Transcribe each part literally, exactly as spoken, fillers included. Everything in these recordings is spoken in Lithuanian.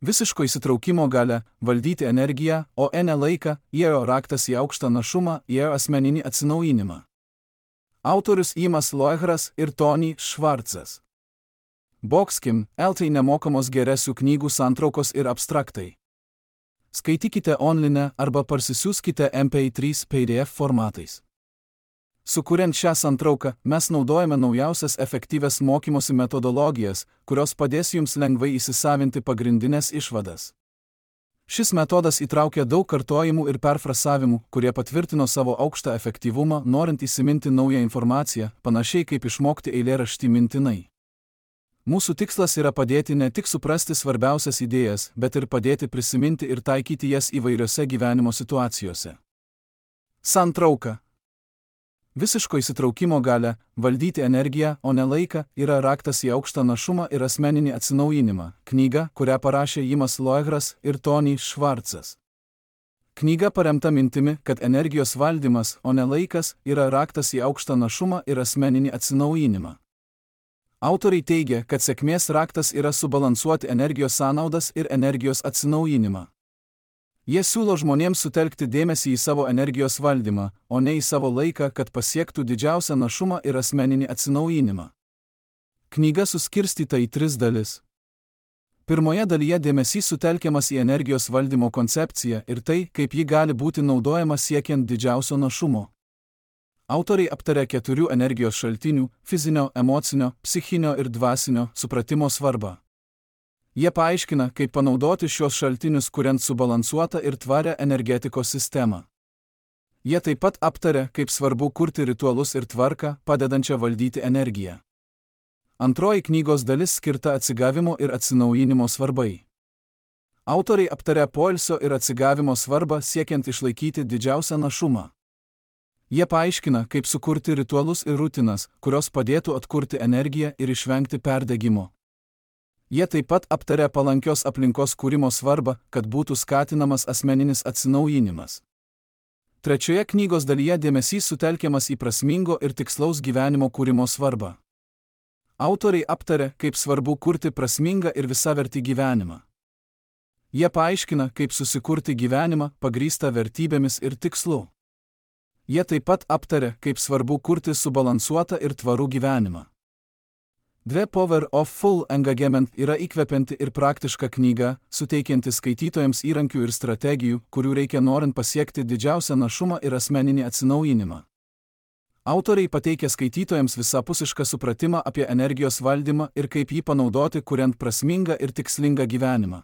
Visiško įsitraukimo galia, valdyti energiją, o ne laiką, įėjo raktas į aukštą našumą, įėjo asmeninį atsinaujinimą. Autorius Imas Loehras ir Tony Schwartzas. Boxkim, eltai nemokamos geresių knygų santraukos ir abstraktai. Skaitykite online arba parsisiųskite M P trys P D F formatais. Sukuriant šią santrauką, mes naudojame naujausias efektyvias mokymosi metodologijas, kurios padės jums lengvai įsisavinti pagrindinės išvadas. Šis metodas įtraukia daug kartojimų ir perfrasavimų, kurie patvirtino savo aukštą efektyvumą, norint įsiminti naują informaciją, panašiai kaip išmokti eilėraštį mintinai. Mūsų tikslas yra padėti ne tik suprasti svarbiausias idėjas, bet ir padėti prisiminti ir taikyti jas įvairiose gyvenimo situacijose. Santrauka. Visiško įsitraukimo galia, valdyti energiją, o ne laiką, yra raktas į aukštą našumą ir asmeninį atsinaujinimą. Knyga, kurią parašė Imas Loehras ir Tony Schwartzas. Knyga paremta mintimi, kad energijos valdymas, o ne laikas, yra raktas į aukštą našumą ir asmeninį atsinaujinimą. Autoriai teigia, kad sėkmės raktas yra subalansuoti energijos sąnaudas ir energijos atsinaujinimą. Jie siūlo žmonėms sutelkti dėmesį į savo energijos valdymą, o ne į savo laiką, kad pasiektų didžiausią našumą ir asmeninį atsinaujinimą. Knyga suskirstyta į tris dalis. Pirmoje dalyje dėmesys sutelkiamas į energijos valdymo koncepciją ir tai, kaip ji gali būti naudojama siekiant didžiausio našumo. Autoriai aptaria keturių energijos šaltinių – fizinio, emocinio, psichinio ir dvasinio – supratimo svarbą. Jie paaiškina, kaip panaudoti šios šaltinius, kuriant subalansuotą ir tvarę energetikos sistemą. Jie taip pat aptaria, kaip svarbu kurti ritualus ir tvarką, padedančią valdyti energiją. Antroji knygos dalis skirta atsigavimo ir atsinaujinimo svarbai. Autoriai aptaria poilsio ir atsigavimo svarbą siekiant išlaikyti didžiausią našumą. Jie paaiškina, kaip sukurti ritualus ir rutinas, kurios padėtų atkurti energiją ir išvengti perdegimo. Jie taip pat aptaria palankios aplinkos kūrimo svarbą, kad būtų skatinamas asmeninis atsinaujinimas. Trečioje knygos dalyje dėmesys sutelkiamas į prasmingo ir tikslaus gyvenimo kūrimo svarbą. Autoriai aptaria, kaip svarbu kurti prasmingą ir visavertį gyvenimą. Jie paaiškina, kaip susikurti gyvenimą, pagrįstą vertybėmis ir tikslu. Jie taip pat aptaria, kaip svarbu kurti subalansuotą ir tvarų gyvenimą. The Power of Full Engagement yra įkvepianti ir praktiška knyga, suteikianti skaitytojams įrankių ir strategijų, kurių reikia norint pasiekti didžiausią našumą ir asmeninį atsinaujinimą. Autoriai pateikia skaitytojams visapusišką supratimą apie energijos valdymą ir kaip jį panaudoti, kuriant prasmingą ir tikslingą gyvenimą.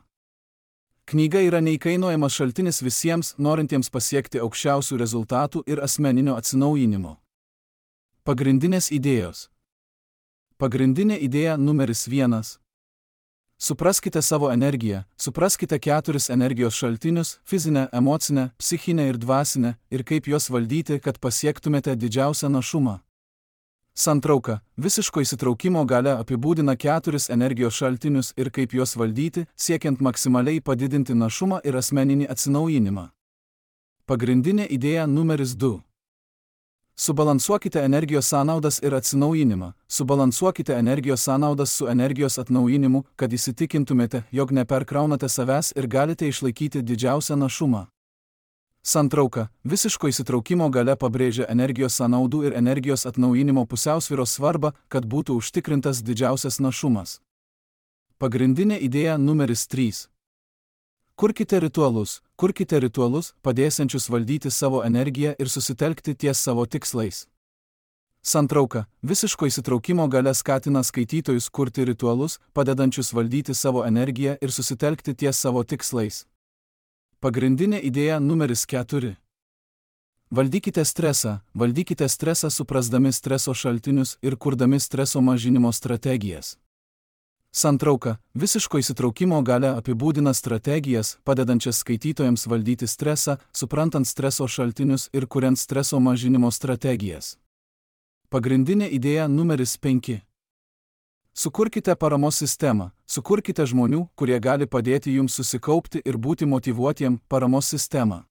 Knyga yra neįkainojamas šaltinis visiems, norintiems pasiekti aukščiausių rezultatų ir asmeninio atsinaujinimo. Pagrindinės idėjos. Pagrindinė idėja numeris vienas. Supraskite savo energiją, supraskite keturis energijos šaltinius – fizinę, emocinę, psichinę ir dvasinę, ir kaip juos valdyti, kad pasiektumėte didžiausią našumą. Santrauka. Visiško įsitraukimo galia apibūdina keturis energijos šaltinius ir kaip juos valdyti, siekiant maksimaliai padidinti našumą ir asmeninį atsinaujinimą. Pagrindinė idėja numeris du. Subalansuokite energijos sąnaudas ir atsinaujinimą. Subalansuokite energijos sąnaudas su energijos atnaujinimu, kad įsitikintumėte, jog neperkraunate savęs ir galite išlaikyti didžiausią našumą. Santrauka. Visiško įsitraukimo galia pabrėžia energijos sąnaudų ir energijos atnaujinimo pusiausvyros svarbą, kad būtų užtikrintas didžiausias našumas. Pagrindinė idėja numeris trys. Kurkite ritualus. Kurkite ritualus, padėsiančius valdyti savo energiją ir susitelkti ties savo tikslais. Santrauka. Visiško įsitraukimo galia skatina skaitytojus kurti ritualus, padedančius valdyti savo energiją ir susitelkti ties savo tikslais. Pagrindinė idėja numeris keturi. Valdykite stresą. Valdykite stresą suprasdami streso šaltinius ir kurdami streso mažinimo strategijas. Santrauka. Visiško įsitraukimo galia apibūdina strategijas, padedančias skaitytojams valdyti stresą, suprantant streso šaltinius ir kuriant streso mažinimo strategijas. Pagrindinė idėja numeris penki. Sukurkite paramos sistemą. Sukurkite žmonių, kurie gali padėti jums susikaupti ir būti motyvuotiem paramos sistemą.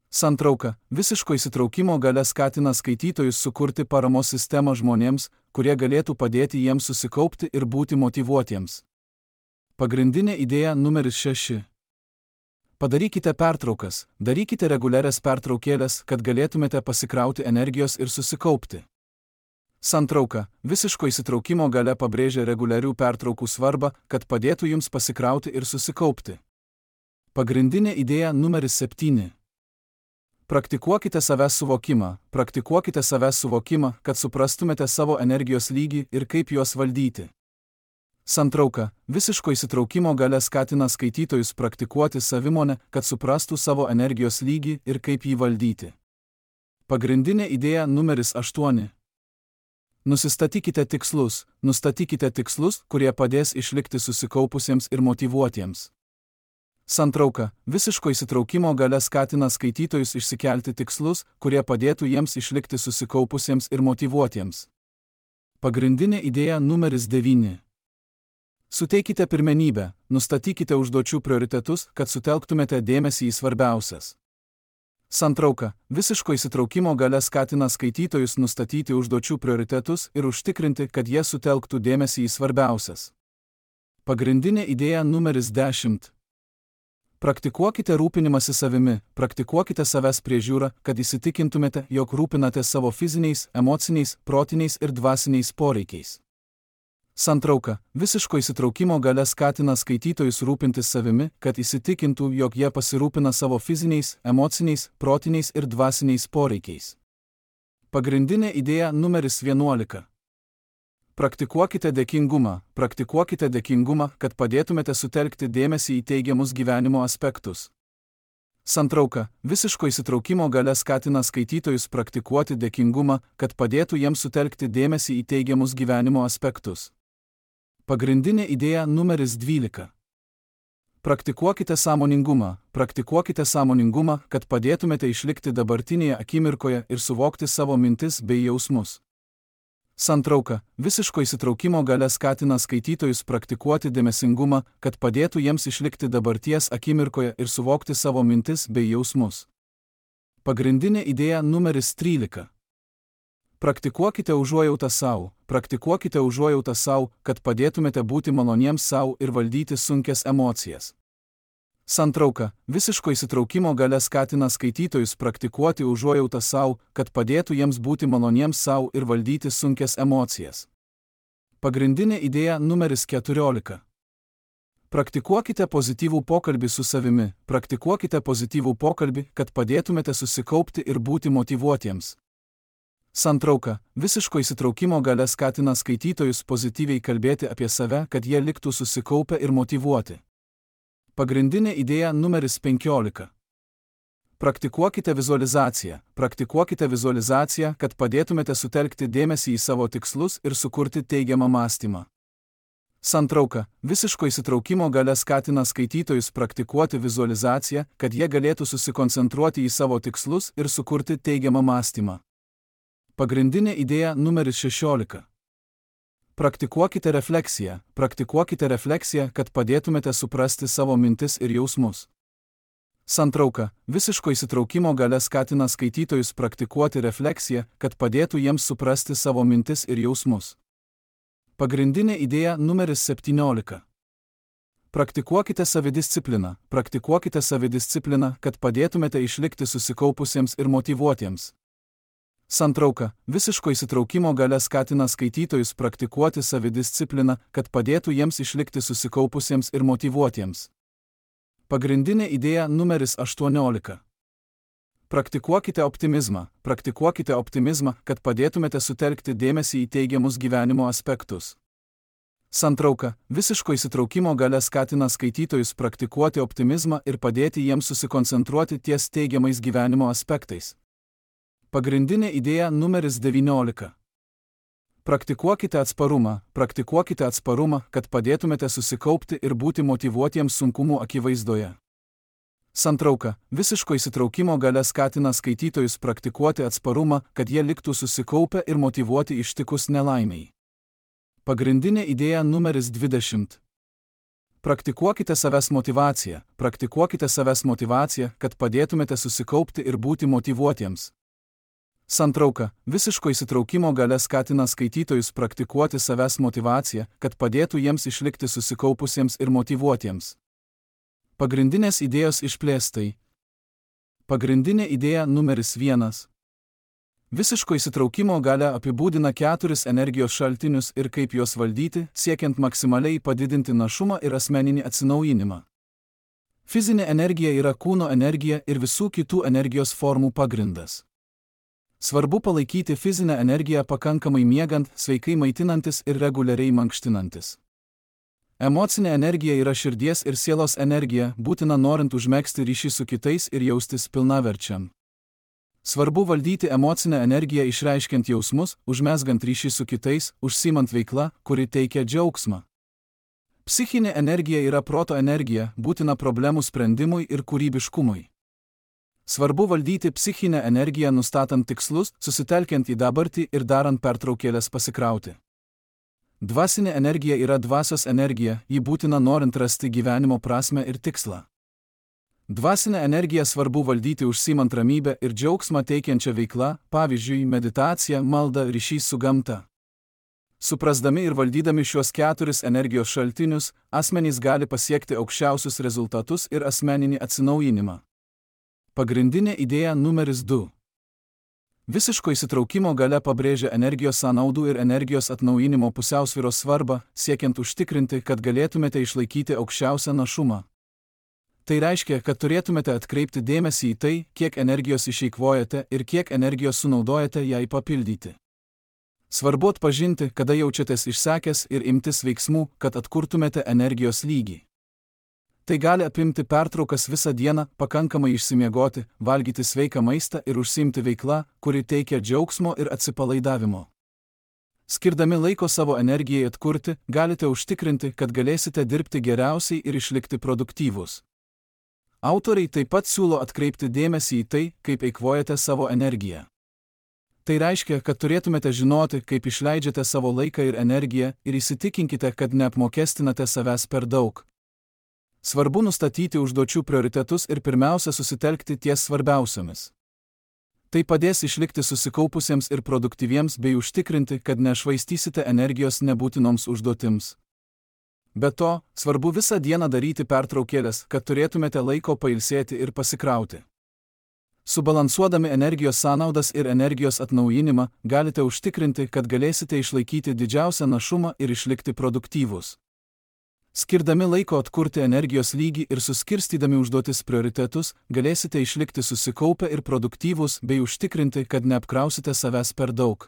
Santrauka. Visiško įsitraukimo galia skatina skaitytojus sukurti paramos sistemą žmonėms, kurie galėtų padėti jiems susikaupti ir būti motyvuotiems. Pagrindinė idėja numeris šeši. Padarykite pertraukas, darykite reguliarias pertraukėlės, kad galėtumėte pasikrauti energijos ir susikaupti. Santrauka, visiško įsitraukimo galia pabrėžia reguliarių pertraukų svarbą, kad padėtų jums pasikrauti ir susikaupti. Pagrindinė idėja numeris septyni. Praktikuokite savęs suvokimą, praktikuokite savęs suvokimą, kad suprastumėte savo energijos lygį ir kaip juos valdyti. Santrauka, visiško įsitraukimo galia skatina skaitytojus praktikuoti savimonę, kad suprastų savo energijos lygį ir kaip jį valdyti. Pagrindinė idėja numeris aštuoni. Nusistatykite tikslus, nustatykite tikslus, kurie padės išlikti susikaupusiems ir motyvuotiems. Santrauka, visiško įsitraukimo galia skatina skaitytojus išsikelti tikslus, kurie padėtų jiems išlikti susikaupusiems ir motyvuotiems. Pagrindinė idėja numeris devyni. Suteikite pirmenybę, nustatykite užduočių prioritetus, kad sutelktumėte dėmesį į svarbiausias. Santrauka, visiško įsitraukimo galia skatina skaitytojus nustatyti užduočių prioritetus ir užtikrinti, kad jie sutelktų dėmesį į svarbiausias. Pagrindinė idėja numeris dešimt. Praktikuokite rūpinimąsi savimi, praktikuokite savęs priežiūrą, kad įsitikintumėte, jog rūpinate savo fiziniais, emociniais, protiniais ir dvasiniais poreikiais. Santrauka, visiško įsitraukimo galia skatina skaitytojus rūpintis savimi, kad įsitikintų, jog jie pasirūpina savo fiziniais, emociniais, protiniais ir dvasiniais poreikiais. Pagrindinė idėja numeris vienuolika. Praktikuokite dėkingumą, praktikuokite dėkingumą, kad padėtumėte sutelkti dėmesį į teigiamus gyvenimo aspektus. Santrauka, visiško įsitraukimo galia skatina skaitytojus praktikuoti dėkingumą, kad padėtų jiems sutelkti dėmesį į teigiamus gyvenimo aspektus. Pagrindinė idėja numeris dvylika. Praktikuokite sąmoningumą, praktikuokite sąmoningumą, kad padėtumėte išlikti dabartinėje akimirkoje ir suvokti savo mintis bei jausmus. Santrauka, visiško įsitraukimo galia skatina skaitytojus praktikuoti dėmesingumą, kad padėtų jiems išlikti dabarties akimirkoje ir suvokti savo mintis bei jausmus. Pagrindinė idėja numeris trylika. Praktikuokite užuojautą sau, praktikuokite užuojautą sau, kad padėtumėte būti maloniems sau ir valdyti sunkias emocijas. Santrauka, visiško įsitraukimo galia skatina skaitytojus praktikuoti užuojautą sau, kad padėtų jiems būti maloniems sau ir valdyti sunkias emocijas. Pagrindinė idėja numeris keturiolika. Praktikuokite pozityvų pokalbį su savimi, praktikuokite pozityvų pokalbį, kad padėtumėte susikaupti ir būti motyvuotiems. Santrauka, visiško įsitraukimo galia skatina skaitytojus pozityviai kalbėti apie save, kad jie liktų susikaupę ir motyvuoti. Pagrindinė idėja numeris penkiolika. Praktikuokite vizualizaciją, praktikuokite vizualizaciją, kad padėtumėte sutelkti dėmesį į savo tikslus ir sukurti teigiamą mąstymą. Santrauka, visiško įsitraukimo galia skatina skaitytojus praktikuoti vizualizaciją, kad jie galėtų susikoncentruoti į savo tikslus ir sukurti teigiamą mąstymą. Pagrindinė idėja numeris šešiolika. Praktikuokite refleksiją, praktikuokite refleksiją, kad padėtumėte suprasti savo mintis ir jausmus. Santrauka, visiško įsitraukimo galia skatina skaitytojus praktikuoti refleksiją, kad padėtų jiems suprasti savo mintis ir jausmus. Pagrindinė idėja numeris septyniolika. Praktikuokite savidiscipliną, praktikuokite savidiscipliną, kad padėtumėte išlikti susikaupusiems ir motyvuotiems. Santrauka, visiško įsitraukimo galia skatina skaitytojus praktikuoti savidiscipliną, kad padėtų jiems išlikti susikaupusiems ir motyvuotiems. Pagrindinė idėja numeris aštuoniolika. Praktikuokite optimizmą, praktikuokite optimizmą, kad padėtumėte sutelkti dėmesį į teigiamus gyvenimo aspektus. Santrauka, visiško įsitraukimo galia skatina skaitytojus praktikuoti optimizmą ir padėti jiems susikoncentruoti ties teigiamais gyvenimo aspektais. Pagrindinė idėja numeris devyniolika. Praktikuokite atsparumą, praktikuokite atsparumą, kad padėtumėte susikaupti ir būti motyvuotiems sunkumų akivaizdoje. Santrauka, visiško įsitraukimo galia skatina skaitytojus praktikuoti atsparumą, kad jie liktų susikaupę ir motyvuoti ištikus nelaimiai. Pagrindinė idėja numeris dvidešimt. Praktikuokite savęs motyvaciją, praktikuokite savęs motyvaciją, kad padėtumėte susikaupti ir būti motyvuotiems. Santrauka – visiško įsitraukimo galia skatina skaitytojus praktikuoti savęs motyvaciją, kad padėtų jiems išlikti susikaupusiems ir motyvuotiems. Pagrindinės idėjos išplėstai. Pagrindinė idėja numeris vienas. Visiško įsitraukimo galia apibūdina keturis energijos šaltinius ir kaip juos valdyti, siekiant maksimaliai padidinti našumą ir asmeninį atsinaujinimą. Fizinė energija yra kūno energija ir visų kitų energijos formų pagrindas. Svarbu palaikyti fizinę energiją pakankamai miegant, sveikai maitinantis ir reguliariai mankštinantis. Emocinė energija yra širdies ir sielos energija, būtina norint užmegzti ryšį su kitais ir jaustis pilnaverčiam. Svarbu valdyti emocinę energiją išreiškiant jausmus, užmezgant ryšį su kitais, užsiimant veiklą, kuri teikia džiaugsmą. Psichinė energija yra proto energija, būtina problemų sprendimui ir kūrybiškumui. Svarbu valdyti psichinę energiją nustatant tikslus, susitelkiant į dabartį ir darant pertraukėlės pasikrauti. Dvasinė energija yra dvasios energija, ji būtina norint rasti gyvenimo prasmę ir tikslą. Dvasinę energiją svarbu valdyti užsiimant ramybę ir džiaugsmą teikiančią veiklą, pavyzdžiui, meditacija, malda, ryšys su gamta. Suprasdami ir valdydami šiuos keturis energijos šaltinius, asmenys gali pasiekti aukščiausius rezultatus ir asmeninį atsinaujinimą. Pagrindinė idėja numeris du. Visiško įsitraukimo galia pabrėžia energijos sąnaudų ir energijos atnaujinimo pusiausvyros svarbą, siekiant užtikrinti, kad galėtumėte išlaikyti aukščiausią našumą. Tai reiškia, kad turėtumėte atkreipti dėmesį į tai, kiek energijos išeikvojate ir kiek energijos sunaudojate jai papildyti. Svarbu atpažinti, kada jaučiatės išsekęs ir imtis veiksmų, kad atkurtumėte energijos lygį. Tai gali apimti pertraukas visą dieną, pakankamai išsimiegoti, valgyti sveiką maistą ir užsiimti veiklą, kuri teikia džiaugsmo ir atsipalaidavimo. Skirdami laiko savo energijai atkurti, galite užtikrinti, kad galėsite dirbti geriausiai ir išlikti produktyvūs. Autoriai taip pat siūlo atkreipti dėmesį į tai, kaip eikvojate savo energiją. Tai reiškia, kad turėtumėte žinoti, kaip išleidžiate savo laiką ir energiją ir įsitikinkite, kad neapmokestinate savęs per daug. Svarbu nustatyti užduočių prioritetus ir pirmiausia susitelkti ties svarbiausiomis. Tai padės išlikti susikaupusiems ir produktyviems bei užtikrinti, kad nešvaistysite energijos nebūtinoms užduotims. Be to, svarbu visą dieną daryti pertraukėlės, kad turėtumėte laiko pailsėti ir pasikrauti. Subalansuodami energijos sąnaudas ir energijos atnaujinimą, galite užtikrinti, kad galėsite išlaikyti didžiausią našumą ir išlikti produktyvūs. Skirdami laiko atkurti energijos lygį ir suskirstydami užduotis prioritetus, galėsite išlikti susikaupę ir produktyvūs bei užtikrinti, kad neapkrausite savęs per daug.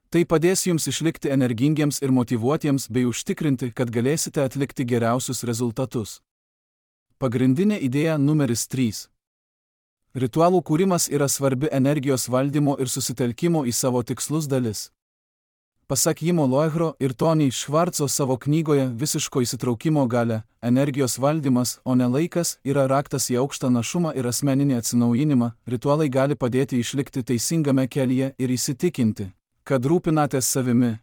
Tai padės jums išlikti energingiems ir motyvuotiems bei užtikrinti, kad galėsite atlikti geriausius rezultatus. Pagrindinė idėja numeris trys. Ritualų kūrimas yra svarbi energijos valdymo ir susitelkimo į savo tikslus dalis. Pasak Jimo Loehro ir Tony Schwartzo savo knygoje Visiško įsitraukimo galia, energijos valdymas, o ne laikas, yra raktas į aukštą našumą ir asmeninį atsinaujinimą. Ritualai gali padėti išlikti teisingame kelyje ir įsitikinti, kad rūpinatės savimi.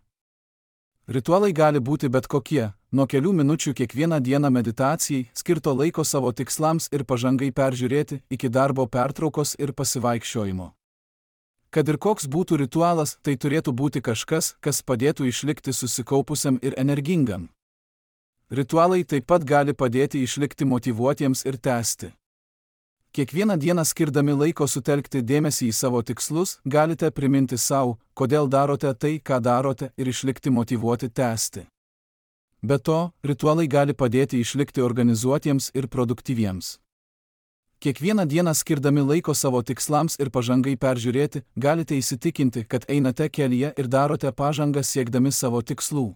Ritualai gali būti bet kokie, nuo kelių minučių kiekvieną dieną meditacijai, skirto laiko savo tikslams ir pažangai peržiūrėti, iki darbo pertraukos ir pasivaikščiojimo. Kad ir koks būtų ritualas, tai turėtų būti kažkas, kas padėtų išlikti susikaupusiam ir energingam. Ritualai taip pat gali padėti išlikti motyvuotiems ir tęsti. Kiekvieną dieną skirdami laiko sutelkti dėmesį į savo tikslus, galite priminti savo, kodėl darote tai, ką darote, ir išlikti motyvuoti tęsti. Be to, ritualai gali padėti išlikti organizuotiems ir produktyviems. Kiekvieną dieną skirdami laiko savo tikslams ir pažangai peržiūrėti, galite įsitikinti, kad einate kelyje ir darote pažangą siekdami savo tikslų.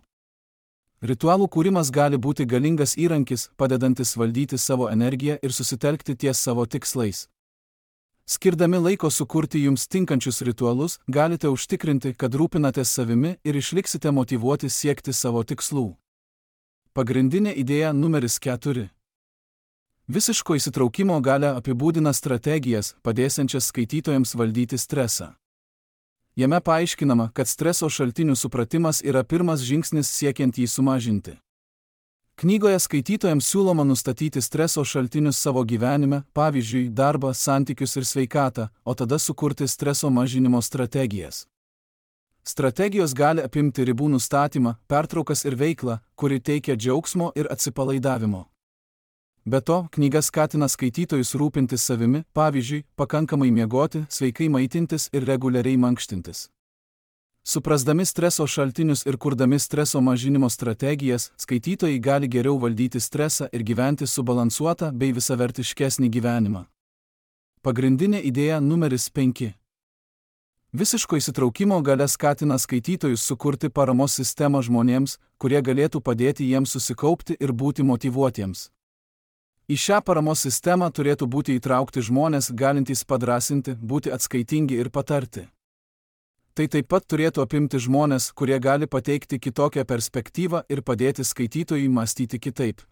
Ritualų kūrimas gali būti galingas įrankis, padedantis valdyti savo energiją ir susitelkti ties savo tikslais. Skirdami laiko sukurti jums tinkančius ritualus, galite užtikrinti, kad rūpinatės savimi ir išliksite motyvuoti siekti savo tikslų. Pagrindinė idėja numeris keturi. Visiško įsitraukimo galia apibūdina strategijas, padėsiančias skaitytojams valdyti stresą. Jame paaiškinama, kad streso šaltinių supratimas yra pirmas žingsnis siekiant jį sumažinti. Knygoje skaitytojams siūloma nustatyti streso šaltinius savo gyvenime, pavyzdžiui, darbą, santykius ir sveikatą, o tada sukurti streso mažinimo strategijas. Strategijos gali apimti ribų nustatymą, pertraukas ir veiklą, kuri teikia džiaugsmo ir atsipalaidavimo. Be to, knyga skatina skaitytojus rūpintis savimi, pavyzdžiui, pakankamai miegoti, sveikai maitintis ir reguliariai mankštintis. Suprasdami streso šaltinius ir kurdami streso mažinimo strategijas, skaitytojai gali geriau valdyti stresą ir gyventi subalansuotą bei visavertiškesnį gyvenimą. Pagrindinė idėja numeris penki. Visiško įsitraukimo galia skatina skaitytojus sukurti paramos sistemą žmonėms, kurie galėtų padėti jiems susikaupti ir būti motyvuotiems. Į šią paramos sistemą turėtų būti įtraukti žmonės galintys padrąsinti, būti atskaitingi ir patarti. Tai taip pat turėtų apimti žmonės, kurie gali pateikti kitokią perspektyvą ir padėti skaitytojui mąstyti kitaip.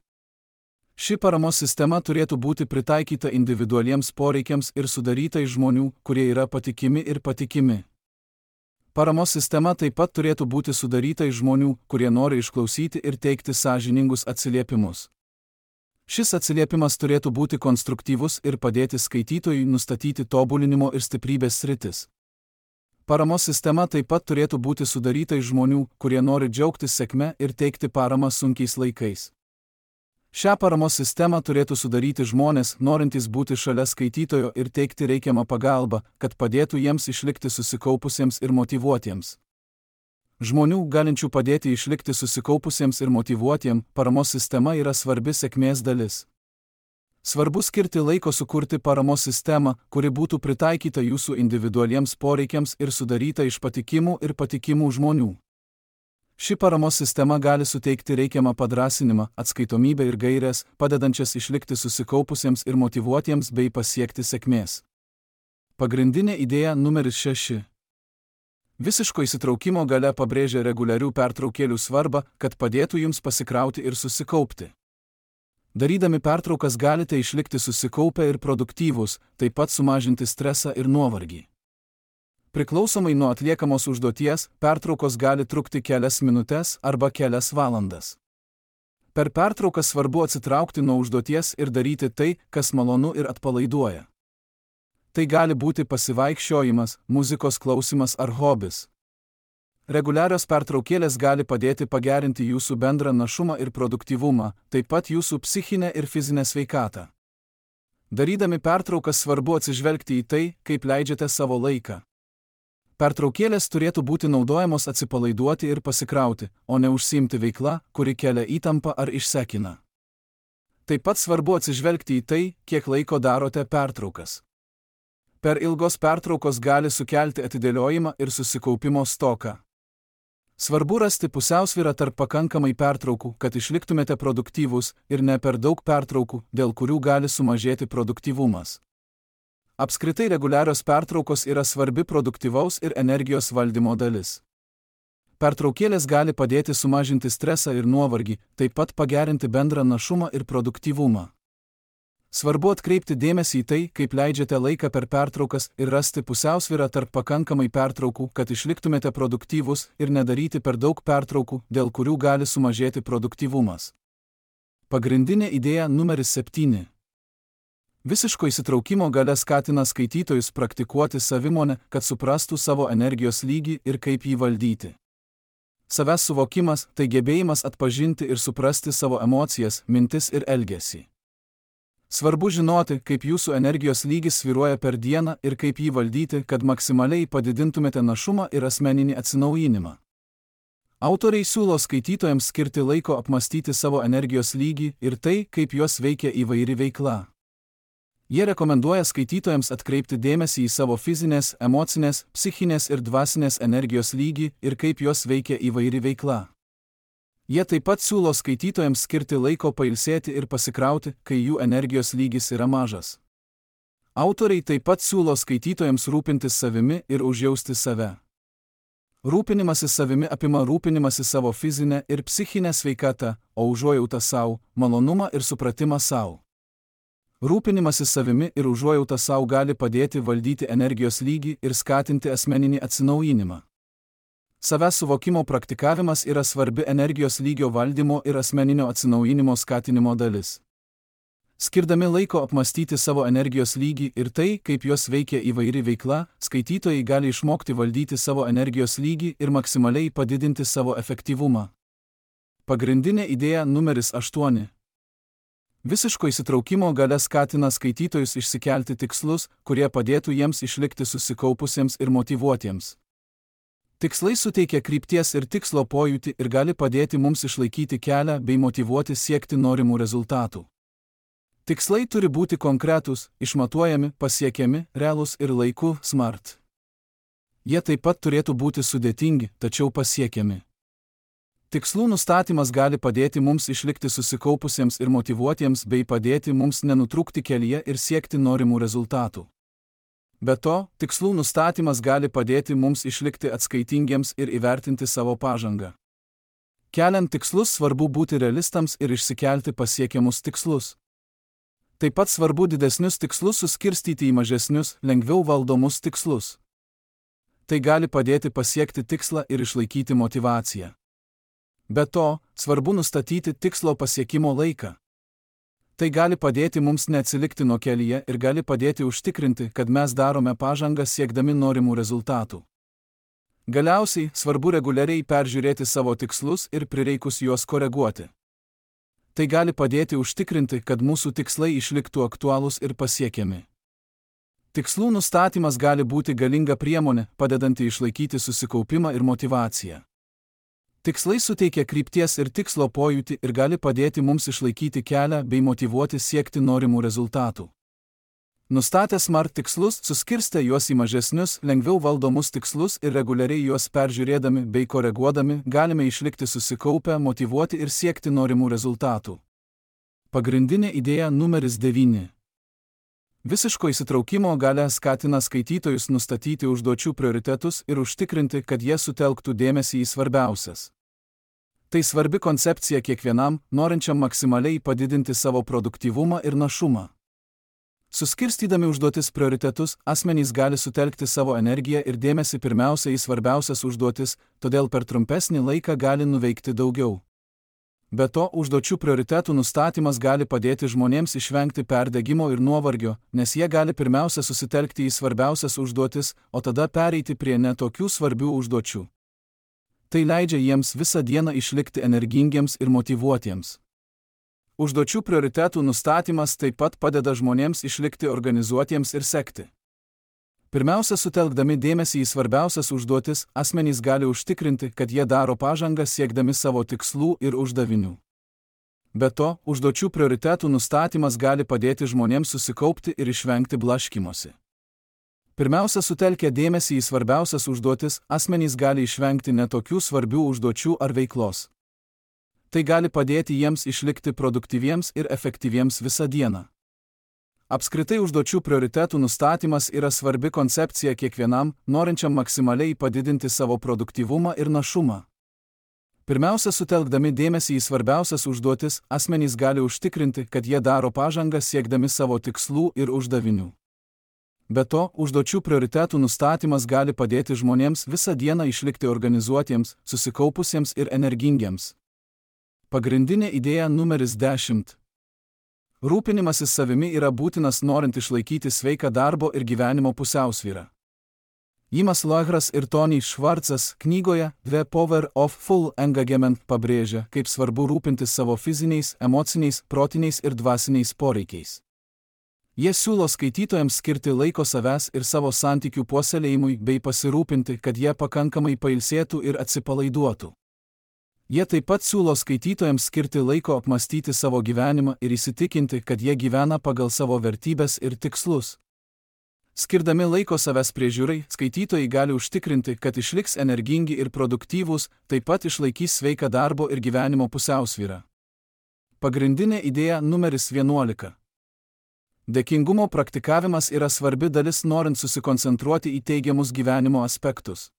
Ši paramos sistema turėtų būti pritaikyta individualiems poreikiams ir sudaryta iš žmonių, kurie yra patikimi ir patikimi. Paramos sistema taip pat turėtų būti sudaryta iš žmonių, kurie nori išklausyti ir teikti sąžiningus atsiliepimus. Šis atsiliepimas turėtų būti konstruktyvus ir padėti skaitytojui nustatyti tobulinimo ir stiprybės sritis. Paramos sistema taip pat turėtų būti sudaryta iš žmonių, kurie nori džiaugtis sėkme ir teikti paramą sunkiais laikais. Šią paramos sistemą turėtų sudaryti žmonės, norintys būti šalia skaitytojo ir teikti reikiamą pagalbą, kad padėtų jiems išlikti susikaupusiems ir motyvuotiems. Žmonių, galinčių padėti išlikti susikaupusiems ir motyvuotiems, paramos sistema yra svarbi sėkmės dalis. Svarbu skirti laiko sukurti paramos sistemą, kuri būtų pritaikyta jūsų individualiems poreikiams ir sudaryta iš patikimų ir patikimų žmonių. Ši paramos sistema gali suteikti reikiamą padrąsinimą, atskaitomybę ir gaires, padedančias išlikti susikaupusiems ir motyvuotiems bei pasiekti sėkmės. Pagrindinė idėja numeris šeši. Visiško įsitraukimo galia pabrėžia reguliarių pertraukėlių svarbą, kad padėtų jums pasikrauti ir susikaupti. Darydami pertraukas galite išlikti susikaupę ir produktyvūs, taip pat sumažinti stresą ir nuovargį. Priklausomai nuo atliekamos užduoties, pertraukos gali trukti kelias minutes arba kelias valandas. Per pertrauką svarbu atsitraukti nuo užduoties ir daryti tai, kas malonu ir atpalaiduoja. Tai gali būti pasivaikščiojimas, muzikos klausimas ar hobis. Reguliarios pertraukėlės gali padėti pagerinti jūsų bendrą našumą ir produktyvumą, taip pat jūsų psichinę ir fizinę sveikatą. Darydami pertraukas svarbu atsižvelgti į tai, kaip leidžiate savo laiką. Pertraukėlės turėtų būti naudojamos atsipalaiduoti ir pasikrauti, o ne užsiimti veikla, kuri kelia įtampą ar išsekina. Taip pat svarbu atsižvelgti į tai, kiek laiko darote pertraukas. Per ilgos pertraukos gali sukelti atidėliojimą ir susikaupimo stoką. Svarbu rasti pusiausvyrą tarp pakankamai pertraukų, kad išliktumėte produktyvūs, ir ne per daug pertraukų, dėl kurių gali sumažėti produktyvumas. Apskritai reguliarios pertraukos yra svarbi produktyvaus ir energijos valdymo dalis. Pertraukėlės gali padėti sumažinti stresą ir nuovargį, taip pat pagerinti bendrą našumą ir produktyvumą. Svarbu atkreipti dėmesį į tai, kaip leidžiate laiką per pertraukas ir rasti pusiausvyrą tarp pakankamai pertraukų, kad išliktumėte produktyvūs ir nedaryti per daug pertraukų, dėl kurių gali sumažėti produktyvumas. Pagrindinė idėja numeris septyni. Visiško įsitraukimo galia skatina skaitytojus praktikuoti savimonę, kad suprastų savo energijos lygį ir kaip jį valdyti. Savęs suvokimas – tai gebėjimas atpažinti ir suprasti savo emocijas, mintis ir elgesį. Svarbu žinoti, kaip jūsų energijos lygis svyruoja per dieną ir kaip jį valdyti, kad maksimaliai padidintumėte našumą ir asmeninį atsinaujinimą. Autoriai siūlo skaitytojams skirti laiko apmastyti savo energijos lygį ir tai, kaip juos veikia įvairi veikla. Jie rekomenduoja skaitytojams atkreipti dėmesį į savo fizinės, emocinės, psichinės ir dvasinės energijos lygį ir kaip juos veikia įvairi veikla. Jie taip pat siūlo skaitytojams skirti laiko pailsėti ir pasikrauti, kai jų energijos lygis yra mažas. Autoriai taip pat siūlo skaitytojams rūpintis savimi ir užjausti save. Rūpinimasis savimi apima rūpinimąsi savo fizinę ir psichinę sveikatą, o užuojautą savo, malonumą ir supratimą savo. Rūpinimasis savimi ir užuojauta savo gali padėti valdyti energijos lygį ir skatinti asmeninį atsinaujinimą. Savęs suvokimo praktikavimas yra svarbi energijos lygio valdymo ir asmeninio atsinaujinimo skatinimo dalis. Skirdami laiko apmastyti savo energijos lygį ir tai, kaip jos veikia įvairi veikla, skaitytojai gali išmokti valdyti savo energijos lygį ir maksimaliai padidinti savo efektyvumą. Pagrindinė idėja numeris aštuoni. Visiško įsitraukimo galia skatina skaitytojus išsikelti tikslus, kurie padėtų jiems išlikti susikaupusiems ir motyvuotiems. Tikslai suteikia krypties ir tikslo pojūtį ir gali padėti mums išlaikyti kelią bei motyvuoti siekti norimų rezultatų. Tikslai turi būti konkretūs, išmatuojami, pasiekiami, realūs ir laiku smart. Jie taip pat turėtų būti sudėtingi, tačiau pasiekiami. Tikslų nustatymas gali padėti mums išlikti susikaupusiems ir motyvuotiems bei padėti mums nenutrūkti kelyje ir siekti norimų rezultatų. Be to, tikslų nustatymas gali padėti mums išlikti atskaitingiems ir įvertinti savo pažangą. Keliant tikslus svarbu būti realistams ir išsikelti pasiekiamus tikslus. Taip pat svarbu didesnius tikslus suskirstyti į mažesnius, lengviau valdomus tikslus. Tai gali padėti pasiekti tikslą ir išlaikyti motyvaciją. Be to, svarbu nustatyti tikslo pasiekimo laiką. Tai gali padėti mums neatsilikti nuo kelyje ir gali padėti užtikrinti, kad mes darome pažangą siekdami norimų rezultatų. Galiausiai, svarbu reguliariai peržiūrėti savo tikslus ir prireikus juos koreguoti. Tai gali padėti užtikrinti, kad mūsų tikslai išliktų aktualūs ir pasiekiami. Tikslų nustatymas gali būti galinga priemonė, padedanti išlaikyti susikaupimą ir motyvaciją. Tikslai suteikia krypties ir tikslo pojūtį ir gali padėti mums išlaikyti kelią bei motyvuoti siekti norimų rezultatų. Nustatę smart tikslus, suskirstę juos į mažesnius, lengviau valdomus tikslus ir reguliariai juos peržiūrėdami bei koreguodami, galime išlikti susikaupę, motyvuoti ir siekti norimų rezultatų. Pagrindinė idėja numeris devyni. Visiško įsitraukimo galia skatina skaitytojus nustatyti užduočių prioritetus ir užtikrinti, kad jie sutelktų dėmesį į svarbiausias. Tai svarbi koncepcija kiekvienam, norinčiam maksimaliai padidinti savo produktyvumą ir našumą. Suskirstydami užduotis prioritetus, asmenys gali sutelkti savo energiją ir dėmesį pirmiausia į svarbiausias užduotis, todėl per trumpesnį laiką gali nuveikti daugiau. Be to, užduočių prioritetų nustatymas gali padėti žmonėms išvengti perdegimo ir nuovargio, nes jie gali pirmiausia susitelkti į svarbiausias užduotis, o tada pereiti prie netokių svarbių užduočių. Tai leidžia jiems visą dieną išlikti energingiems ir motyvuotiems. Užduočių prioritetų nustatymas taip pat padeda žmonėms išlikti organizuotiems ir sekti. Pirmiausia, sutelkdami dėmesį į svarbiausias užduotis, asmenys gali užtikrinti, kad jie daro pažangą siekdami savo tikslų ir uždavinių. Be to, užduočių prioritetų nustatymas gali padėti žmonėms susikaupti ir išvengti blaškymosi. Pirmiausia, sutelkę dėmesį į svarbiausias užduotis, asmenys gali išvengti netokių svarbių užduočių ar veiklos. Tai gali padėti jiems išlikti produktyviems ir efektyviems visą dieną. Apskritai užduočių prioritetų nustatymas yra svarbi koncepcija kiekvienam, norinčiam maksimaliai padidinti savo produktyvumą ir našumą. Pirmiausia, sutelkdami dėmesį į svarbiausias užduotis, asmenys gali užtikrinti, kad jie daro pažangą siekdami savo tikslų ir uždavinių. Be to, užduočių prioritetų nustatymas gali padėti žmonėms visą dieną išlikti organizuotiems, susikaupusiems ir energingiems. Pagrindinė idėja numeris dešimt. Rūpinimasis savimi yra būtinas norint išlaikyti sveiką darbo ir gyvenimo pusiausvyrą. Jimas Loegras ir Tony Schwartzas knygoje The Power of Full Engagement pabrėžia, kaip svarbu rūpintis savo fiziniais, emociniais, protiniais ir dvasiniais poreikiais. Jie siūlo skaitytojams skirti laiko savęs ir savo santykių puoselėjimui bei pasirūpinti, kad jie pakankamai pailsėtų ir atsipalaiduotų. Jie taip pat siūlo skaitytojams skirti laiko apmastyti savo gyvenimą ir įsitikinti, kad jie gyvena pagal savo vertybes ir tikslus. Skirdami laiko savęs priežiūrai, skaitytojai gali užtikrinti, kad išliks energingi ir produktyvūs, taip pat išlaikys sveiką darbo ir gyvenimo pusiausvyrą. Pagrindinė idėja numeris vienuolika. Dėkingumo praktikavimas yra svarbi dalis norint susikoncentruoti į teigiamus gyvenimo aspektus.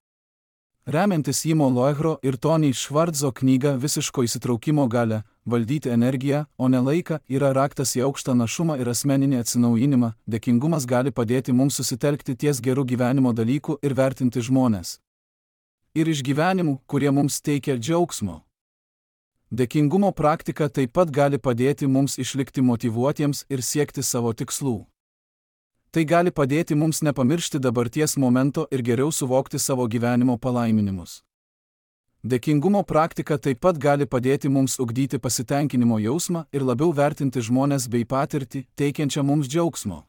Remiantis Jimo Loegro ir Tony Schwartzo knyga Visiško įsitraukimo galia, valdyti energiją, o ne laiką, yra raktas į aukštą našumą ir asmeninį atsinaujinimą. Dėkingumas gali padėti mums susitelkti ties gerų gyvenimo dalykų ir vertinti žmones. ir išgyvenimų, kurie mums teikia džiaugsmo. Dėkingumo praktika taip pat gali padėti mums išlikti motyvuotiems ir siekti savo tikslų. Tai gali padėti mums nepamiršti dabarties momento ir geriau suvokti savo gyvenimo palaiminimus. Dėkingumo praktika taip pat gali padėti mums ugdyti pasitenkinimo jausmą ir labiau vertinti žmones bei patirtį, teikiančią mums džiaugsmo.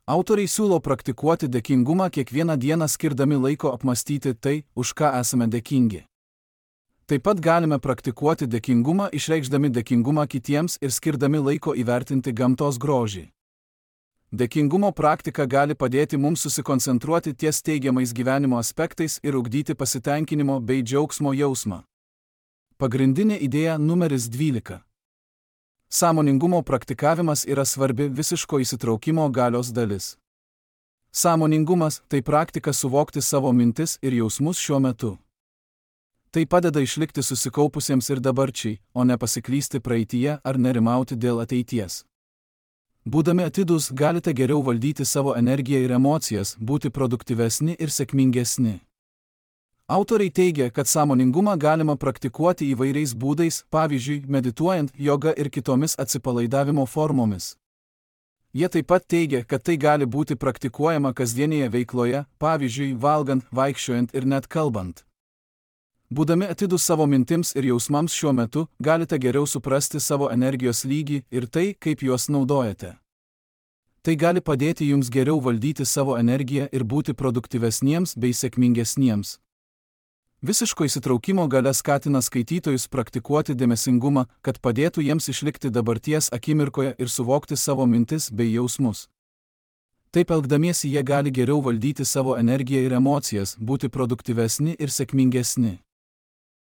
Autoriai siūlo praktikuoti dėkingumą kiekvieną dieną skirdami laiko apmastyti tai, už ką esame dėkingi. Taip pat galime praktikuoti dėkingumą išreikšdami dėkingumą kitiems ir skirdami laiko įvertinti gamtos grožį. Dėkingumo praktika gali padėti mums susikoncentruoti ties teigiamais gyvenimo aspektais ir ugdyti pasitenkinimo bei džiaugsmo jausmą. Pagrindinė idėja numeris dvylika. Sąmoningumo praktikavimas yra svarbi visiško įsitraukimo galios dalis. Sąmoningumas – tai praktika suvokti savo mintis ir jausmus šiuo metu. Tai padeda išlikti susikaupusiems ir dabarčiai, o ne pasiklysti praeityje ar nerimauti dėl ateities. Būdami atidūs galite geriau valdyti savo energiją ir emocijas, būti produktyvesni ir sėkmingesni. Autoriai teigia, kad sąmoningumą galima praktikuoti įvairiais būdais, pavyzdžiui, medituojant, joga ir kitomis atsipalaidavimo formomis. Jie taip pat teigia, kad tai gali būti praktikuojama kasdienėje veikloje, pavyzdžiui, valgant, vaikščiojant ir net kalbant. Būdami atidūs savo mintims ir jausmams šiuo metu, galite geriau suprasti savo energijos lygį ir tai, kaip juos naudojate. Tai gali padėti jums geriau valdyti savo energiją ir būti produktyvesniems bei sėkmingesniems. Visiško įsitraukimo galia skatina skaitytojus praktikuoti dėmesingumą, kad padėtų jiems išlikti dabarties akimirkoje ir suvokti savo mintis bei jausmus. Taip elgdamiesi jie gali geriau valdyti savo energiją ir emocijas, būti produktyvesni ir sėkmingesni.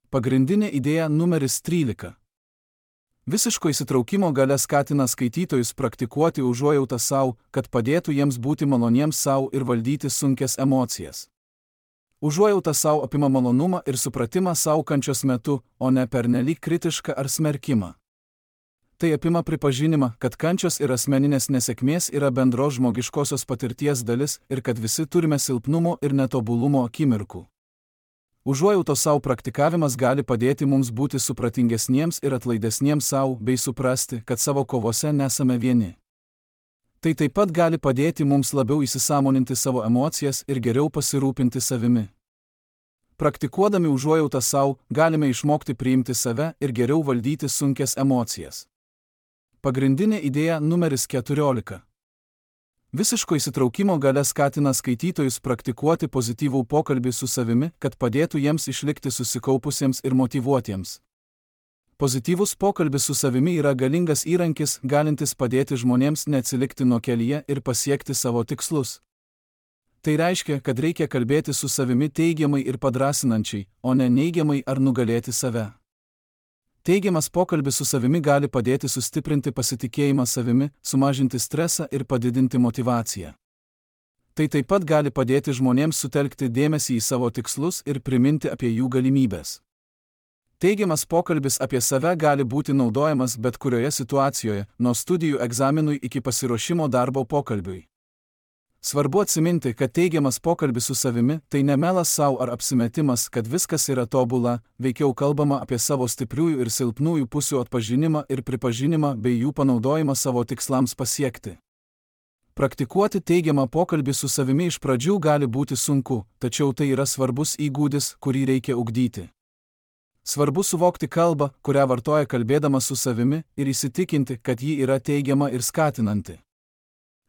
Pagrindinė idėja numeris trylika. Visiško įsitraukimo galia skatina skaitytojus praktikuoti užuojautą savo, kad padėtų jiems būti maloniems savo ir valdyti sunkias emocijas. Užuojauta savo apima malonumą ir supratimą savo kančios metu, o ne pernelyg kritišką ar smerkimą. Tai apima pripažinimą, kad kančios ir asmeninės nesėkmės yra bendros žmogiškosios patirties dalis ir kad visi turime silpnumo ir netobulumo akimirkų. Užuojautos savo praktikavimas gali padėti mums būti supratingesniems ir atlaidesniems savo bei suprasti, kad savo kovose nesame vieni. Tai taip pat gali padėti mums labiau įsisąmoninti savo emocijas ir geriau pasirūpinti savimi. Praktikuodami užuojautą savo, galime išmokti priimti save ir geriau valdyti sunkias emocijas. Pagrindinė idėja numeris keturiolika. Visiško įsitraukimo galia skatina skaitytojus praktikuoti pozityvų pokalbį su savimi, kad padėtų jiems išlikti susikaupusiems ir motyvuotiems. Pozityvus pokalbis su savimi yra galingas įrankis, galintis padėti žmonėms neatsilikti nuo kelyje ir pasiekti savo tikslus. Tai reiškia, kad reikia kalbėti su savimi teigiamai ir padrasinančiai, o ne neigiamai ar nugalėti save. Teigiamas pokalbis su savimi gali padėti sustiprinti pasitikėjimą savimi, sumažinti stresą ir padidinti motyvaciją. Tai taip pat gali padėti žmonėms sutelkti dėmesį į savo tikslus ir priminti apie jų galimybes. Teigiamas pokalbis apie save gali būti naudojamas bet kurioje situacijoje, nuo studijų egzaminui iki pasiruošimo darbo pokalbiui. Svarbu atsiminti, kad teigiamas pokalbis su savimi tai ne melas sau ar apsimetimas, kad viskas yra tobula, veikiau kalbama apie savo stipriųjų ir silpnųjų pusių atpažinimą ir pripažinimą bei jų panaudojimą savo tikslams pasiekti. Praktikuoti teigiamą pokalbį su savimi iš pradžių gali būti sunku, tačiau tai yra svarbus įgūdis, kurį reikia ugdyti. Svarbu suvokti kalbą, kurią vartoja kalbėdamas su savimi, ir įsitikinti, kad ji yra teigiama ir skatinanti.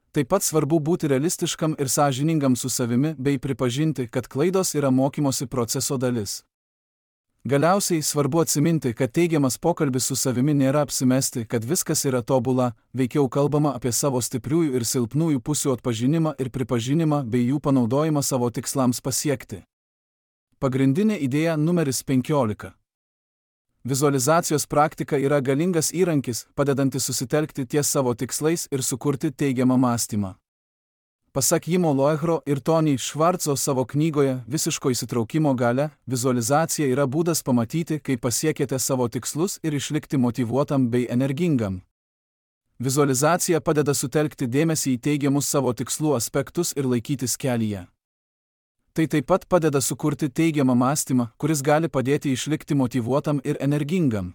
Taip pat svarbu būti realistiškam ir sąžiningam su savimi bei pripažinti, kad klaidos yra mokymosi proceso dalis. Galiausiai svarbu atsiminti, kad teigiamas pokalbis su savimi nėra apsimesti, kad viskas yra tobula, veikiau kalbama apie savo stipriųjų ir silpnųjų pusių atpažinimą ir pripažinimą bei jų panaudojimą savo tikslams pasiekti. Pagrindinė idėja numeris penkiolika. Vizualizacijos praktika yra galingas įrankis, padedantis susitelkti ties savo tikslais ir sukurti teigiamą mąstymą. Pasak Jimo Loehro ir Tony Schwartzo savo knygoje Visiško įsitraukimo galia, vizualizacija yra būdas pamatyti, kaip pasiekėte savo tikslus ir išlikti motyvuotam bei energingam. Vizualizacija padeda sutelkti dėmesį į teigiamus savo tikslų aspektus ir laikytis kelyje. Tai taip pat padeda sukurti teigiamą mąstymą, kuris gali padėti išlikti motyvuotam ir energingam.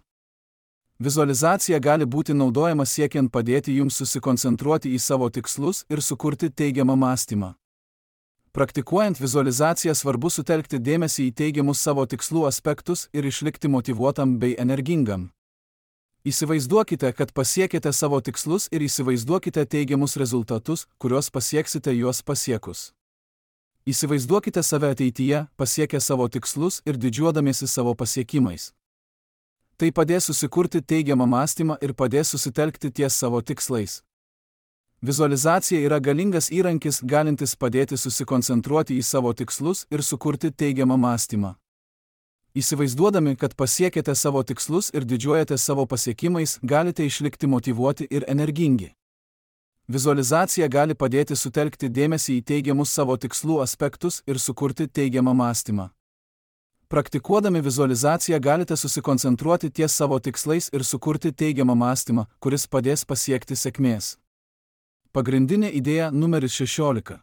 Vizualizacija gali būti naudojama siekiant padėti jums susikoncentruoti į savo tikslus ir sukurti teigiamą mąstymą. Praktikuojant vizualizaciją svarbu sutelkti dėmesį į teigiamus savo tikslų aspektus ir išlikti motyvuotam bei energingam. Įsivaizduokite, kad pasiekėte savo tikslus ir įsivaizduokite teigiamus rezultatus, kuriuos pasieksite juos pasiekus. Įsivaizduokite save ateityje, pasiekę savo tikslus ir didžiuodamiesi savo pasiekimais. Tai padės susikurti teigiamą mąstymą ir padės susitelkti ties savo tikslais. Vizualizacija yra galingas įrankis, galintis padėti susikoncentruoti į savo tikslus ir sukurti teigiamą mąstymą. Įsivaizduodami, kad pasiekėte savo tikslus ir didžiuojate savo pasiekimais, galite išlikti motyvuoti ir energingi. Vizualizacija gali padėti sutelkti dėmesį į teigiamus savo tikslų aspektus ir sukurti teigiamą mąstymą. Praktikuodami vizualizaciją galite susikoncentruoti ties savo tikslais ir sukurti teigiamą mąstymą, kuris padės pasiekti sėkmės. Pagrindinė idėja numeris šešiolika.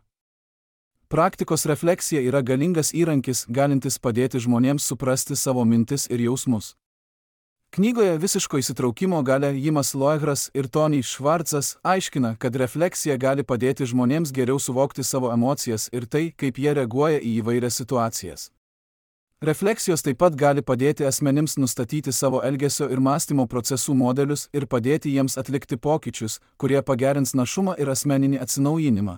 Praktikos refleksija yra galingas įrankis, galintis padėti žmonėms suprasti savo mintis ir jausmus. Knygoje Visiško įsitraukimo galia Jimas Loegras ir Tony Schwartzas aiškina, kad refleksija gali padėti žmonėms geriau suvokti savo emocijas ir tai, kaip jie reaguoja į įvairias situacijas. Refleksijos taip pat gali padėti asmenims nustatyti savo elgesio ir mąstymo procesų modelius ir padėti jiems atlikti pokyčius, kurie pagerins našumą ir asmeninį atsinaujinimą.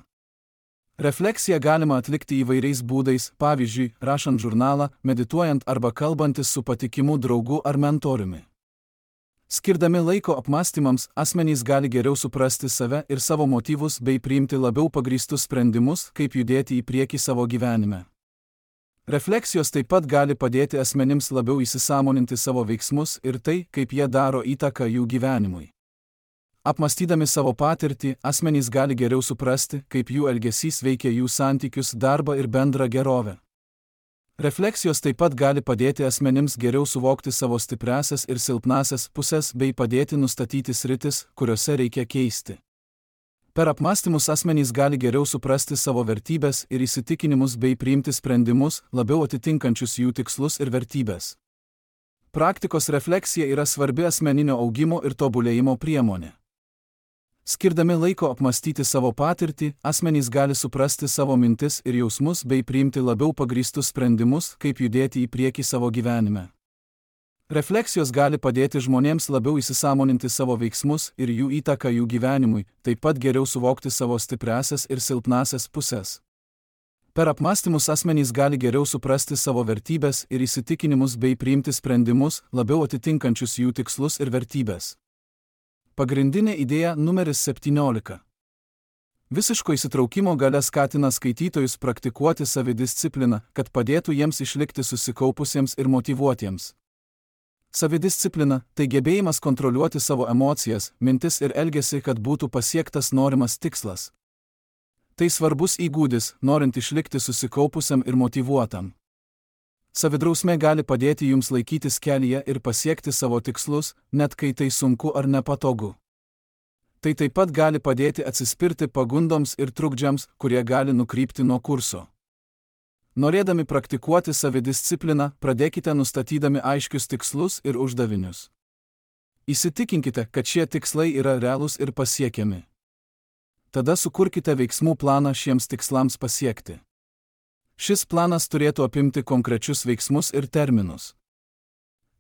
Refleksiją galima atlikti įvairiais būdais, pavyzdžiui, rašant žurnalą, medituojant arba kalbantis su patikimu draugu ar mentoriumi. Skirdami laiko apmąstymams, asmenys gali geriau suprasti save ir savo motyvus bei priimti labiau pagrįstus sprendimus, kaip judėti į priekį savo gyvenime. Refleksijos taip pat gali padėti asmenims labiau įsisąmoninti savo veiksmus ir tai, kaip jie daro įtaką jų gyvenimui. Apmąstydami savo patirtį, asmenys gali geriau suprasti, kaip jų elgesys veikia jų santykius, darbą ir bendrą gerovę. Refleksijos taip pat gali padėti asmenims geriau suvokti savo stipriąsias ir silpnąsias puses bei padėti nustatyti sritis, kuriuose reikia keisti. Per apmąstymus asmenys gali geriau suprasti savo vertybes ir įsitikinimus bei priimti sprendimus, labiau atitinkančius jų tikslus ir vertybes. Praktikos refleksija yra svarbi asmeninio augimo ir tobulėjimo priemonė. Skirdami laiko apmąstyti savo patirtį, asmenys gali suprasti savo mintis ir jausmus bei priimti labiau pagrįstus sprendimus, kaip judėti į priekį savo gyvenime. Refleksijos gali padėti žmonėms labiau įsisąmoninti savo veiksmus ir jų įtaką jų gyvenimui, taip pat geriau suvokti savo stipriąsias ir silpnąsias puses. Per apmąstymus asmenys gali geriau suprasti savo vertybes ir įsitikinimus bei priimti sprendimus, labiau atitinkančius jų tikslus ir vertybes. Pagrindinė idėja numeris septyniolika. Visiško įsitraukimo galia skatina skaitytojus praktikuoti savidiscipliną, kad padėtų jiems išlikti susikaupusiems ir motyvuotiems. Savidisciplina – tai gebėjimas kontroliuoti savo emocijas, mintis ir elgesį, kad būtų pasiektas norimas tikslas. Tai svarbus įgūdis, norint išlikti susikaupusiam ir motyvuotam. Savidrausmė gali padėti jums laikytis kelyje ir pasiekti savo tikslus, net kai tai sunku ar nepatogu. Tai taip pat gali padėti atsispirti pagundoms ir trukdžiams, kurie gali nukrypti nuo kurso. Norėdami praktikuoti savidiscipliną, pradėkite nustatydami aiškius tikslus ir uždavinius. Įsitikinkite, kad šie tikslai yra realūs ir pasiekiami. Tada sukurkite veiksmų planą šiems tikslams pasiekti. Šis planas turėtų apimti konkrečius veiksmus ir terminus.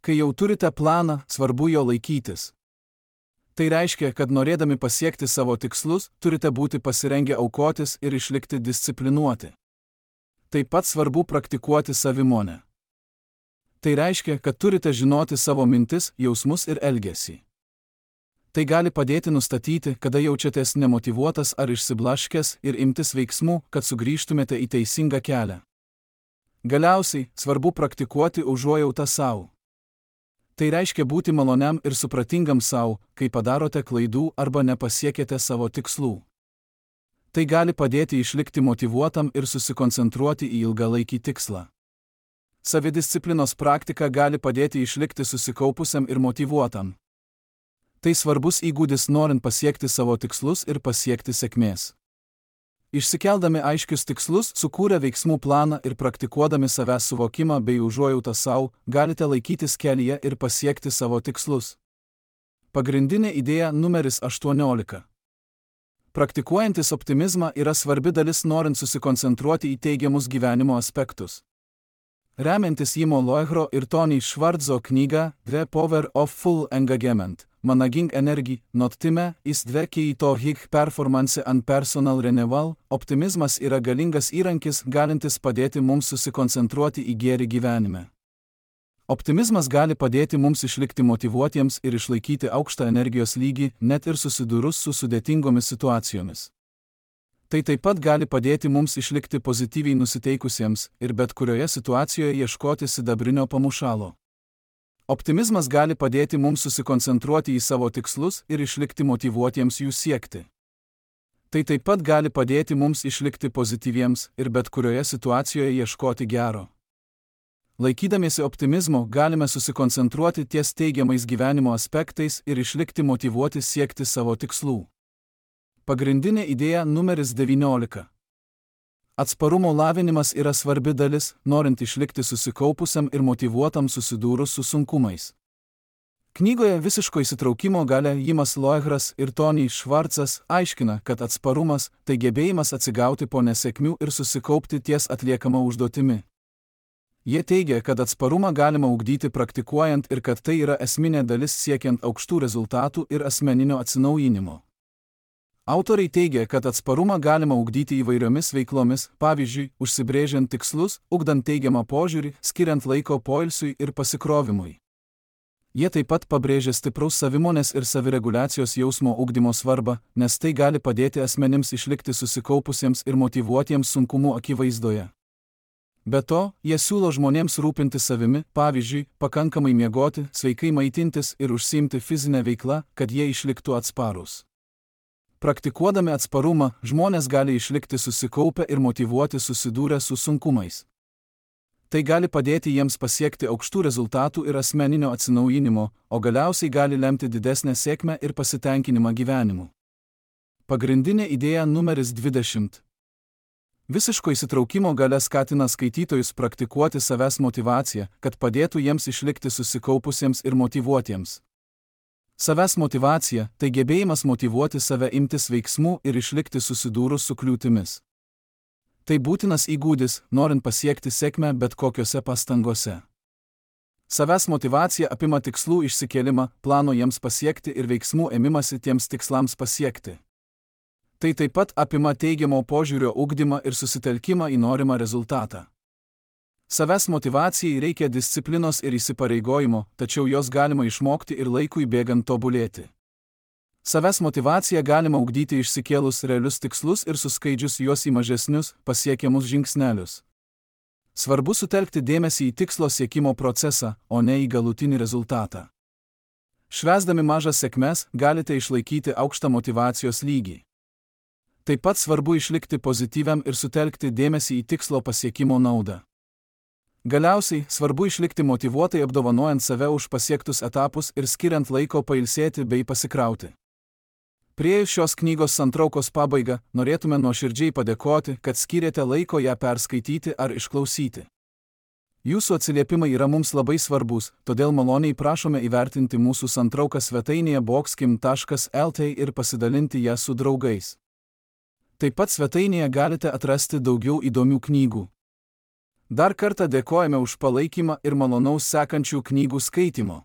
Kai jau turite planą, svarbu jo laikytis. Tai reiškia, kad norėdami pasiekti savo tikslus, turite būti pasirengę aukotis ir išlikti disciplinuoti. Taip pat svarbu praktikuoti savimonę. Tai reiškia, kad turite žinoti savo mintis, jausmus ir elgesį. Tai gali padėti nustatyti, kada jaučiatės nemotyvuotas ar išsiblaškęs ir imtis veiksmų, kad sugrįžtumėte į teisingą kelią. Galiausiai, svarbu praktikuoti užuojautą sau. Tai reiškia būti maloniam ir supratingam sau, kai padarote klaidų arba nepasiekėte savo tikslų. Tai gali padėti išlikti motyvuotam ir susikoncentruoti į ilgalaikį tikslą. Savidisciplinos praktika gali padėti išlikti susikaupusiam ir motyvuotam. Tai svarbus įgūdis norint pasiekti savo tikslus ir pasiekti sėkmės. Išsikeldami aiškius tikslus, sukūrę veiksmų planą ir praktikuodami savęs suvokimą bei užuojautą savo, galite laikytis kelyje ir pasiekti savo tikslus. Pagrindinė idėja numeris aštuoniolika. Praktikuojantis optimizmą yra svarbi dalis norint susikoncentruoti į teigiamus gyvenimo aspektus. Remiantis Jimo Loegro ir Tony Schwartzo knygą The Power of Full Engagement, Managing Energy, not time, is the key to high performance and personal renewal, optimizmas yra galingas įrankis, galintis padėti mums susikoncentruoti į gėrį gyvenime. Optimizmas gali padėti mums išlikti motyvuotiems ir išlaikyti aukštą energijos lygį, net ir susidūrus su sudėtingomis situacijomis. Tai taip pat gali padėti mums išlikti pozityviai nusiteikusiems ir bet kurioje situacijoje ieškoti sidabrinio pamušalo. Optimizmas gali padėti mums susikoncentruoti į savo tikslus ir išlikti motyvuotiems jų siekti. Tai taip pat gali padėti mums išlikti pozityviems ir bet kurioje situacijoje ieškoti gero. Laikydamiesi optimizmo galime susikoncentruoti ties teigiamais gyvenimo aspektais ir išlikti motyvuoti siekti savo tikslų. Pagrindinė idėja numeris devyniolika. Atsparumo lavinimas yra svarbi dalis, norint išlikti susikaupusiam ir motyvuotam susidūrus su sunkumais. Knygoje Visiško įsitraukimo galia Jimas Loegras ir Tony Schwartzas aiškina, kad atsparumas – tai gebėjimas atsigauti po nesėkmių ir susikaupti ties atliekama užduotimi. Jie teigia, kad atsparumą galima ugdyti praktikuojant ir kad tai yra esminė dalis siekiant aukštų rezultatų ir asmeninio atsinaujinimo. Autoriai teigia, kad atsparumą galima ugdyti įvairiomis veiklomis, pavyzdžiui, užsibrėžiant tikslus, ugdant teigiamą požiūrį, skiriant laiko poilsiui ir pasikrovimui. Jie taip pat pabrėžia stipraus savimonės ir savireguliacijos jausmo ugdymo svarbą, nes tai gali padėti asmenims išlikti susikaupusiems ir motyvuotiems sunkumų akivaizdoje. Be to, jie siūlo žmonėms rūpinti savimi, pavyzdžiui, pakankamai miegoti, sveikai maitintis ir užsiimti fizinę veiklą, kad jie išliktų atsparūs. Praktikuodami atsparumą, žmonės gali išlikti susikaupę ir motyvuoti susidūrę su sunkumais. Tai gali padėti jiems pasiekti aukštų rezultatų ir asmeninio atsinaujinimo, o galiausiai gali lemti didesnę sėkmę ir pasitenkinimą gyvenimu. Pagrindinė idėja numeris dvidešimt. Visiško įsitraukimo galia skatina skaitytojus praktikuoti savęs motyvaciją, kad padėtų jiems išlikti susikaupusiems ir motyvuotiems. Savęs motyvacija – tai gebėjimas motyvuoti save imtis veiksmų ir išlikti susidūrus su kliūtimis. Tai būtinas įgūdis, norint pasiekti sėkmę bet kokiose pastangose. Savęs motyvacija apima tikslų išsikėlimą, plano jiems pasiekti ir veiksmų ėmimasi tiems tikslams pasiekti. Tai taip pat apima teigiamo požiūrio ugdymą ir susitelkimą į norimą rezultatą. Savęs motyvacijai reikia disciplinos ir įsipareigojimo, tačiau jos galima išmokti ir laikui bėgant tobulėti. Savęs motyvaciją galima ugdyti išsikėlus realius tikslus ir suskaidžius juos į mažesnius, pasiekiamus žingsnelius. Svarbu sutelkti dėmesį į tikslo siekimo procesą, o ne į galutinį rezultatą. Švęsdami mažas sėkmes galite išlaikyti aukštą motyvacijos lygį. Taip pat svarbu išlikti pozityviam ir sutelkti dėmesį į tikslo pasiekimo naudą. Galiausiai, svarbu išlikti motyvuotai apdovanojant save už pasiektus etapus ir skiriant laiko pailsėti bei pasikrauti. Priėjus šios knygos santraukos pabaigą, norėtume nuoširdžiai padėkoti, kad skyrėte laiko ją perskaityti ar išklausyti. Jūsų atsiliepimai yra mums labai svarbus, todėl maloniai prašome įvertinti mūsų santrauką svetainėje boxkim taškas lt ir pasidalinti ją su draugais. Taip pat svetainėje galite atrasti daugiau įdomių knygų. Dar kartą dėkojame už palaikymą ir malonaus sekančių knygų skaitimo.